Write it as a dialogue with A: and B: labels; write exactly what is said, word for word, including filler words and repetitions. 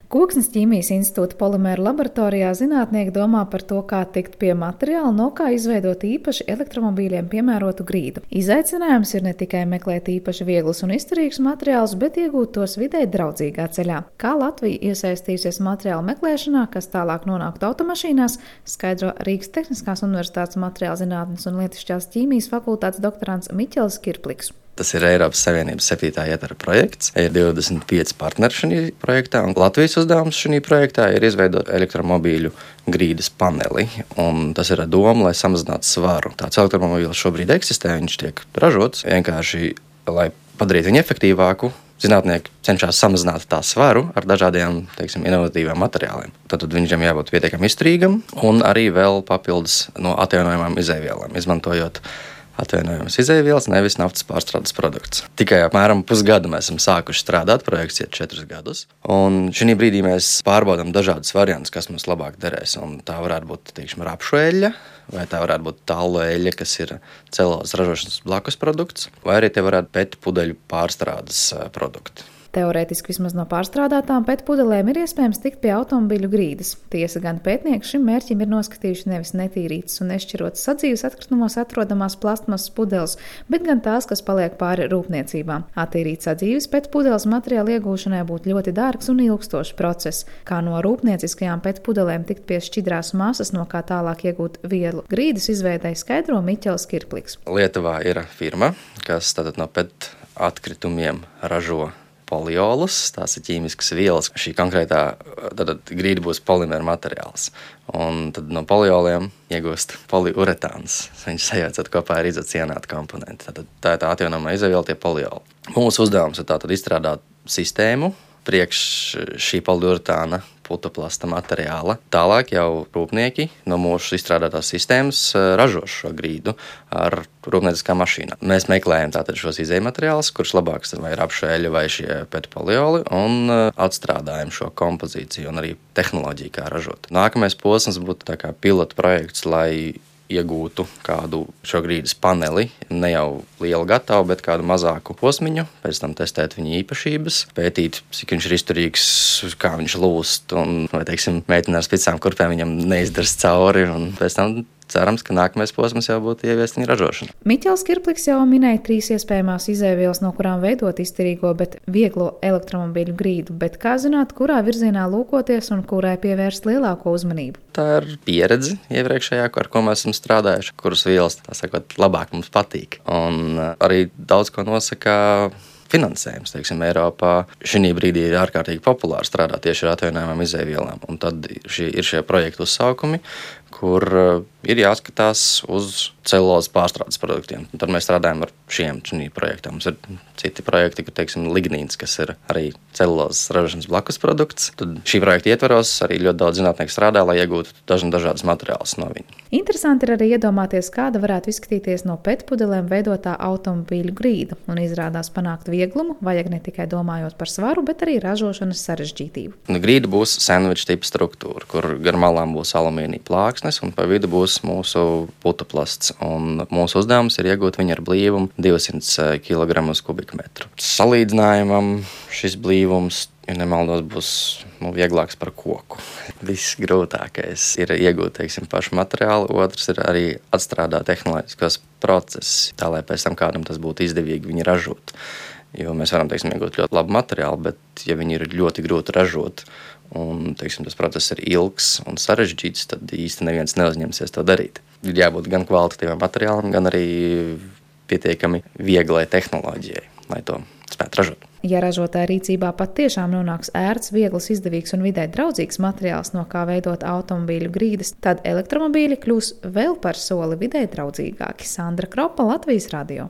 A: Koksnes ķīmijas institūta polimēru laboratorijā zinātnieki domā par to, kā tikt pie materiāla, no kā izveidot īpaši elektromobīļiem piemērotu grīdu. Izaicinājums ir ne tikai meklēt īpaši vieglus un izturīgus materiālus, bet iegūt tos videi draudzīgā ceļā. Kā Latvija iesaistīsies materiālu meklēšanā, kas tālāk nonāktu automašīnās, skaidro Rīgas Tehniskās universitātes materiālu zinātnes un lietišķās ķīmijas fakultātes doktorants Miķels Kirpliks.
B: Tas ir Eiropas Savienības septītā ietvara projekts. Ir divdesmit pieci partneri šajā projektā, un Latvijas uzdevums šajā projektā ir izveidot elektromobīļu grīdas paneli. Un tas ir ar domu, lai samazinātu svaru. Tāds elektromobīls šobrīd eksistē, viņš tiek ražots vienkārši, lai padarītu viņu efektīvāku. Zinātnieki cenšas samazināt tā svaru ar dažādiem, teiksim, inovatīviem materiāliem. Tad viņam jābūt pietiekami izturīgam un arī vēl papildus no atjaunojamām izēvielām, izmantojot atvienojamas izēvielas, nevis naftas pārstrādes produkts. Tikai apmēram pusgadu mēs esam sākuši strādāt, projekts iet četrus gadus. Un šī brīdī mēs pārbaudām dažādus variantus, kas mums labāk derēs. Un tā varētu būt, teiksim, rapšu eļļa, vai tā varētu būt tallu eļļa, kas ir celulozes ražošanas blakus produkts, vai arī tie varētu pet pudeļu pārstrādes produkti.
A: Teorētiski vismaz no pārstrādātām pet pudelēm ir iespējams tikt pie automobīļu grīdas. Tiesa gan pētnieki šim mērķim ir noskatījuši nevis netīrītas un nešķirotas sadzīves atkritumos atrodamās plastmasas pudeles, bet gan tās, kas paliek pāri rūpniecībām. Attīrīt sadzīves pet pudeles materiāla iegūšanai būtu ļoti dārgs un ilgstošs process. Kā no rūpnieciskajām pet pudelēm tikt pie šķidrās masas, no kā tālāk iegūt vielu grīdas izveidai, skaidro Miķels Kirpliks.
B: Lietuvā ir firma, kas tātad no pet atkritumiem ražo poliolus, tās ir ķīmiskas vielas. Šī konkrētā grīda būs polimēra materiāls. Un tad no polioliem iegūst poliuretāns. Viņš sajaucot kopā ar izocianātu komponenti. Tad tā ir tā atjaunojamā izēviela, tie polioli. Mūsu uzdevums ir tātad izstrādāt sistēmu priekš šī poliuretāna putoplasta materiāla. Tālāk jau rūpnieki no mūsu izstrādātās sistēmas ražo šo grīdu ar rūpnieciskām mašīnām. Mēs meklējam tātad šos izējmateriālus, kurš labāks vai rapšu eļļa vai šie pet polioli, un atstrādājam šo kompozīciju un arī tehnoloģiju, kā ražot. Nākamais posms būtu tā kā pilota projekts, lai iegūtu kādu šo grīdas paneli, ne jau lielu gatavu, bet kādu mazāku posmiņu, pēc tam testēt viņa īpašības, pētīt, cik viņš ir izturīgs, kā viņš lūst, un, vai, teiksim, mēģināt ar spicām kurpēm viņam neizdars cauri, un pēc tam cerams, ka nākamais posms jau būtu ieviest viņa ražošanu.
A: Miķels Kirpliks jau minēja trīs iespējamās izēvielas, no kurām veidot izturīgo, bet vieglo elektromobīļu grīdu, bet kā zināt, kurā virzienā lūkoties un kurai pievērst lielāko uzmanību?
B: Tā ir pieredze iepriekšējā, ar ko mēs esam strādājuši, kuras vielas, tā sakot, labāk mums patīk. Un arī daudz ko nosaka finansējums, teiksim, Eiropā. Šī brīdī ir ārkārtīgi populāri strādāt tieši ar atjaunojamām izēvielām. Un tad šie, ir šie projektu uzsaukumi, kur ir jāskatās uz celulozes pārstrādes produktiem. Un tad mēs strādājam ar šiem šī projektiem. Mums ir citi projekti, kur, teiksim, lignīns, kas ir arī celulozes ražošanas blakus produkts. Tad šī projekta ietvaros arī ļoti daudz zinātnieku strādā, lai iegūtu dažādas materiālus no viņa.
A: Interesanti ir arī iedomāties, kāda varētu izskatīties no pet pudelēm veidotā automobīļu grīda. Un izrādās panākt vieglumu, vajag ne tikai domājot par svaru, bet arī ražošanas sarežģītību.
B: Grīda būs sandviča tipa struktūra, kur gar malām būs alumīnija plāksnes un pa vidu būs mūsu putoplasts. Un mūsu uzdevums ir iegūt viņu ar blīvumu divsimt kilogramu uz kubikmetru. Salīdzinājumam šis blīvums, ja nemaldos, būs nu, vieglāks par koku. Viss grūtākais ir iegūt, teiksim, pašu materiālu, otrs ir arī atstrādāt tehnoloģiskos procesus, tā lai pēc tam kādam tas būtu izdevīgi viņu ražot. Jo mēs varam, teiksim, iegūt ļoti labu materiālu, bet ja viņi ir ļoti grūti ražot un, teiksim, tas process ir ilgs un sarežģīts, tad īsti neviens neuzņemsies to darīt. Ir jābūt gan kvalitatīvam materiālam, gan arī pietiekami vieglai tehnoloģijai, lai to spētu ražot.
A: Ja ražotāja rīcībā pat tiešām nonāks ērts, viegls, izdevīgs un vidē draudzīgs materiāls, no kā veidot automobīļu grīdas, tad elektromobīļi kļūs vēl par soli vidē draudzīgāki. Sandra Kropa, Latvijas radio.